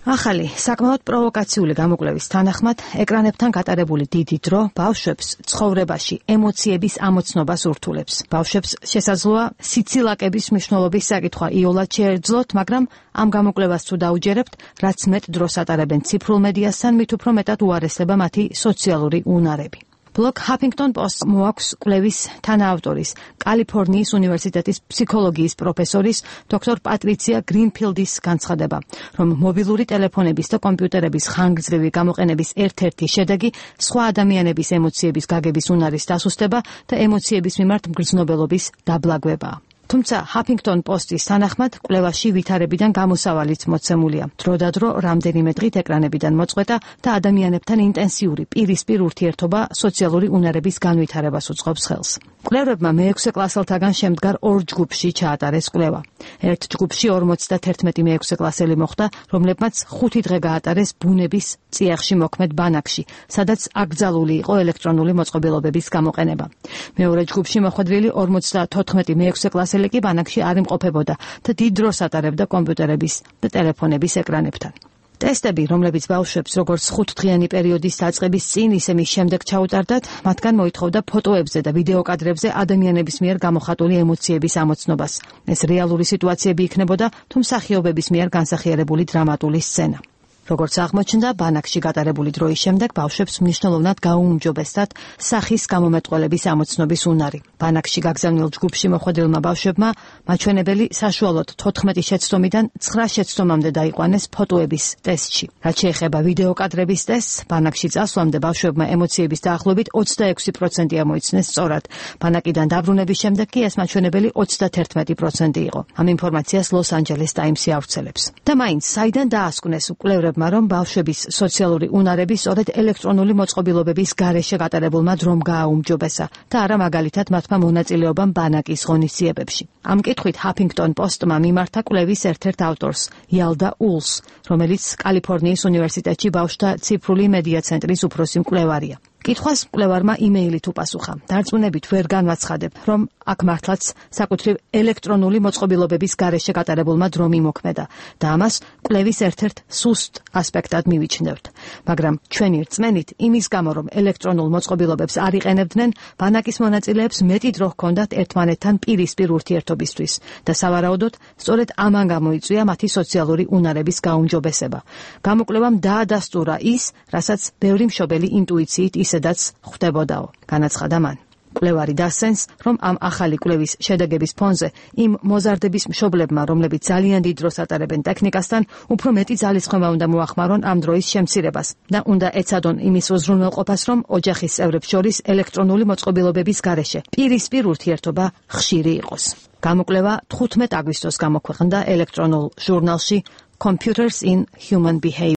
ახალი, საკმაოდ პროვოკაციული გამოკვლევის თანახმად, ეკრანებთან გატარებული დიდი დრო ბავშვებს ცხოვრებაში ემოციების ამოცნობას ურთულებს. ბავშვებს შესაძლოა სიცილაკების მნიშვნელობის საკითხვა იოლად შეეძლოთ, მაგრამ ამ გამოკვლევას თუ დაუჯერებთ, რაც მეტ დროს ატარებენ ციფრულ მედიასთან, მით უფრო მეტად უარესდება მათი სოციალური უნარები. ბლოგ Huffington Post მოაქვს კვლევის თანაავტორის, კალიფორნიის უნივერსიტეტის ფსიქოლოგიის პროფესორის დოქტორ პატრიცია გრინფილდის განცხადება, რომ მობილური ტელეფონების და კომპიუტერების ხანგრძლივი გამოყენების ერთ-ერთი შედეგი სხვა ადამიანების ემოციების გაგების უნარის დასუსტება და ემოციების მიმართ მგრძნობელობის დაბლაგვებაა. თუმცა Huffington Post-ის თანახმად კვლევაში ვითარებიდან გამოსავალიც მოცემულია. დროდადრო რამდენიმე დღით ეკრანებიდან მოწყვეტა და ადამიანებთან ინტენსიური პირისპირ ურთიერთობა სოციალური უნარების განვითარებას უწყობს ხელს. კვლევებმა მე-6 კლასელთაგან შემდგარ 2 ჯგუფში ჩაატარეს კვლევა. ერთ ჯგუფში 51 მე-6 კლასელი მოხვდა, რომლებმაც 5 დღე გაატარეს ბუნების წიაღში მოქმედ ბანაკში, სადაც აკრძალული იყო ელექტრონული მოწყობილობების გამოყენება. მეორე ჯგუფში მოხვედრილი 54 მე-6 კლასელი კი ბანაკში არ იმყოფებოდა და დიდ დროს ატარებდა კომპიუტერების და ტელეფონების ეკრანებთან. ტესტები, რომლებიც ბავშვებს როგორც 5 დღიანი პერიოდის დაწყების წინ, ისე მის შემდეგ ჩაუტარდათ, მათგან მოითხოვდა ფოტოებზე და ვიდეო კადრებზე ადამიანების მიერ გამოხატული ემოციების ამოცნობას. ეს რეალური სიტუაციები იქნებოდა, თუ მსახიობების მიერ განსახიერებული დრამატული სცენა. როგორც აღმოჩნდა, ბანაკში გატარებული დროის შემდეგ ბავშვებს მნიშვნელოვნად გაუმჯობესდათ სახის გამომეტყველების ამოცნობის უნარი. ბანაკში გაგზავნილ ჯგუფში მოხვედრილმა ბავშვებმა მაჩვენებელი საშუალოდ 14 შეცდომიდან 9 შეცდომამდე დაიყვანეს ფოტოების ტესტში. რაც შეეხება ვიდეო კადრების ტესტს, ბანაკში წასვლამდე ბავშვებმა ემოციების დაახლოებით 26% ამოიცნეს სწორად. ბანაკიდან დაბრუნების შემდეგ კი ეს მაჩვენებელი 31% იყო. ამ ინფორმაციას Los Angeles Times-ი ავრცელებს. და მაინც საიდან დაასკვნეს კვლევრებმა, რომ ბავშვების სოციალური უნარები სწორედ ელექტრონული მოწყობილობების გარეშე გატარებულმა დრომ გააუმჯობესა და არა მაგალითად მათმა მონაწილეობამ ბანაკის ღონისძიებებში. ამ კითხვით Huffington Post-მა მიმართა კვლევის ერთ-ერთ ავტორს, იალდა ულს, რომელიც კალიფორნიის უნივერსიტეტში ბავშვთა ციფრული მედია ცენტრის უფროსი მკვლევარია. კითხვას მკვლევარმა იმეილით უპასუხა. დარწმუნებით ვერ განვაცხადებ, რომ აქ მართლაც საკუთრივ ელექტრონული მოწყობილობების გარეშე გატარებულმა დრომ იმოქმედა და ამას კვლევის ერთ-ერთ სუსტ ასპექტად მივიჩნევთ. მაგრამ ჩვენი რწმენით, იმის გამო, რომ ელექტრონულ მოწყობილობებს არ იყენებდნენ, ბანაკის მონაწილეებს მეტი დრო ჰქონდათ ერთმანეთთან პირისპირ ურთიერთობისთვის და სავარაუდოდ, სწორედ ამან გამოიწვია მათი სოციალური უნარების გაუმჯობესება. გამოკვლევამ დაადასტურა ის, რასაც ბევრი მშობელი ინტუიციით ისედაც ხვდებოდაო, განაცხადა მან. კვლევარი დასცენს, რომ ამ ახალი კვლევის შედეგების ფონზე იმ მოზარდების მშობლებმა, რომლებიც ძალიან დიდ დროს ატარებენ ტექნიკასთან, უფრო მეტი ძალისხმევა უნდა მოახმარონ ამ დროის შემცირებას და უნდა ეცადონ იმის უზრუნველყოფას, რომ ოჯახის წევრებს შორის ელექტრონული მოწყობილობების გარეშე პირისპირ ურთიერთობა ხშირი იყოს. გამოკვლევა 15 აგვისტოს გამოქვეყნდა ელექტრონულ ჟურნალში Computers in Human Behavior.